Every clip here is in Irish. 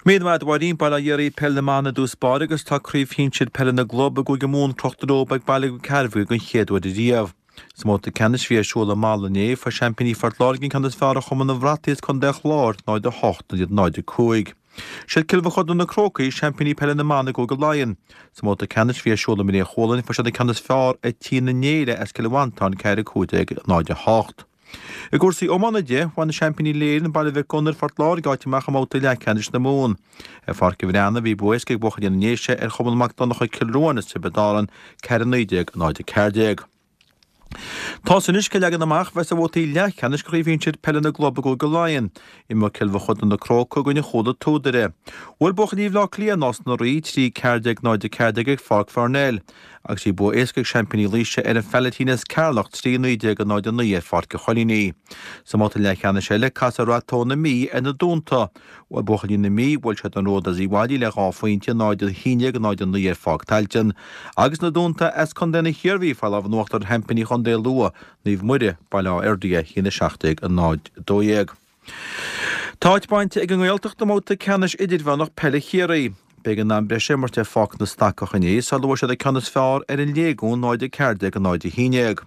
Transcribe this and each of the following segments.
Míle maith agat a Mháirín, Bail ó Dhia oraibh, Peil na mBan i dtús báire agus tá Craobh Shinsir Peile na gClub i gCúige Mumhan crochta leo ag Baile Mhic Cearbhaigh den chéad uair ariamh. Sa mbabhta ceannais a bhí ar siúl i Mala inné, fuair seaimpíní Phort Láirge an ceann is fearr ar Chumann an Bhrataigh as Contae an Chláir, 0-8 in aghaidh 0-5. Siad Cill Mochuda na Crócaigh, seaimpíní peile na mban i gCúige Laighean. Sa mbabhta ceannais a bhí ar siúl i mBré Chualann, fuair siad an ceann is fearr ar Tí na nÉille as Cill Mhantáin, 4-15 0-8. I gcúrsaí iomána de, bhain seaimpíní Laighean, Baile Mhic Gonair, Phort Láirge áit amach i mbabhta leathcheannais na Mumhan. Ar Pháirc an Bhreathnaigh, bhí bua éasca ag buachaillí na nDéise ar Chumann Mac Donncha Cill Ruáin as Tiobraid Árann, 4-19, 0-14. Tá's anois cén leagan amach a bheas ar bhabhtaí leathcheannais de Chraobh Shinsir Peile na gClub i gCúige Laighean. Imreoidh Cill Mochuda na Crócaigh i gcoinne Chuala Túdaire. Bhuail buachaillí Bhaile Átha Cliath Nás na Rí 3, 14, 0-14 ag Pháirc Pharnell. Agus bhí bua éasca ag seaimpíní Laoise ar an Phailetín as Ceatharlach 3, 19, 0, 9 ar Pháirc an Choilínigh. Sa mbabhta leathcheannais eile, casfaidh Rath Tó na Mí ar na Dúnta. Bhuail buachaillí na Mí, bhuail siad an Ród as Uíbh Fhailí le 2 phointe, 0, 11, 0, 9 ar Pháirc Tailteann. Agus na Dúnta as Contae na hIarmhí, fuair lámh in uachtar ar sheaimpíní Chontae Lú, Naomh Muire, Baile Átha Fhirdhia, 1, 17, 0, 12. Tá áit bainte ag an nGaeltacht i mbabhta ceannais idirmheánach peile Chiarraí. B'éigean am breise a imirt ar Pháirc na Stacach inné sula bhfuair siad an ceann is fearr ar an Léigiún 0-14, 0-11.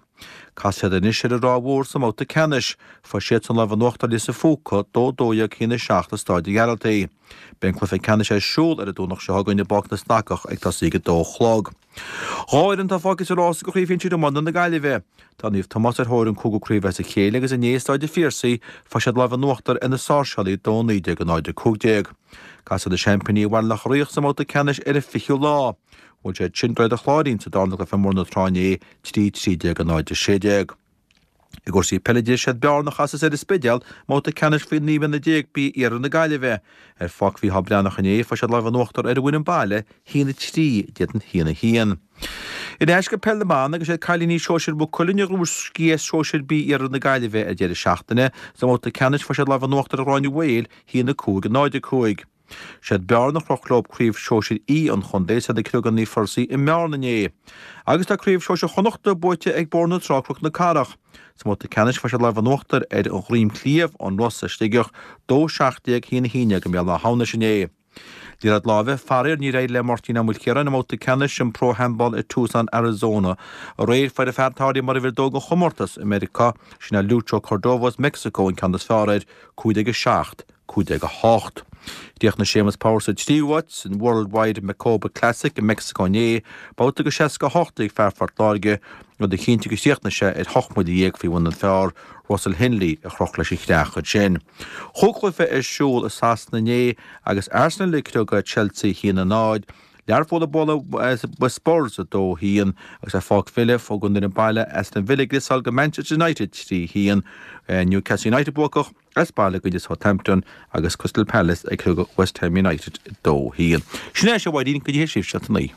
Casfaidh siad anois ar an Ráth Mhór sa mbabhta ceannais. Fuair siadsan lámh in uachtar ar Lios an Phúca, 2-12, 1-7 i Stáid an Ghearaltaigh. Beidh an cluiche ceannais ar siúl ar an Domhnach seo chugainn i bPáirc na Stacach ag tosaí ag 2 a chlog. Dhá fhoireann atá fágtha sa rás do Chraobh Shinsir Iomána na Gaillimhe. Tá Naomh Tomás ar thóir an cúigiú craobh as a chéile agus inné i Stáid an Phiarsaigh fuair siad lámh in uachtar ar na Sáirséalaigh 2-19 0-15. Casfaidh na seaimpíní ar Bhaile Locha Riach sa mbabhta ceannais ar an 20ú lá. Bhuail siad sin Droichead an Chláirín sa darna cluiche mór na tráth inné 3-13 0-16. I gcúrsaí peile de, siad Bearna a chasas ar an Spidéal i mbabhta ceannais faoi 19 mbliana B Iarthar na Gaillimhe. Ar Pháirc Mhícheál Breathnach inné, fuair siad lámh in uachtar ar an bhfoireann baile, 1-3 in éadan 1-1. Ar ais go peil na mban agus siad cailíní sóisir Mhaigh Cuilinn a ghnóthaigh sciath sóisir B Iarthar na Gaillimhe ar deireadh seachtaine. Sa mbabhta ceannais fuair siad lámh in uachtar ar Ghráinne Mhaol, 1-5, 0-5. Siad Bearna a chroch leo Craobh Shóisir E an chontae is iad ag criogadh Naomh Fursey i mBearna inné. Agus tá Craobh Shóisir Chonnachta buaite ag Bóthar na Trá Cnoc na Cathrach. Sa mbabhta ceannais fuair siad lámh in uachtar ar an Dhroim Chliabh ón Ros as Sligeach, 2 17 1 11 i mBéal Átha hAmhnais inné. Liathróid láimhe, faraor níor éirigh le Máirtín Ó Maoilchiaráin i mbabhta ceannais an Pro Handball i Tucson, Arizona aréir. Fuair an fear atá áirithe mar uimhir a dó den chomórtas i Meiriceá, sin é Lucho Cordova as Meicsiceo an ceann is fearr air, 15 7. 15 8. Chríochnaigh Séamus Power sa tríú háit san World Wide Macoba Classic i Meicsiceo inné, babhta de 68 ag fear Phort Láirge, rud a chinntigh gur chríochnaigh sé ar 18 mbuille faoi bhun an fear, Russell Henley, a chroch leis an chreach ansin. Chúig chluiche ar siúl i Sasana inné agus Arsenal ag criogadh Chelsea 1-0, Learpholl ag bualadh Spurs 2-1 agus ar Pháirc Villa thug an fhoireann baile Aston Villa gliosáil go Manchester United 3-1, Newcastle United buacach. As baile i gcoinne Southampton agus Crystal Palace ag criogadh West Ham United 2-1. Sin é, a Mháirín, go dtí sibhse a naoi.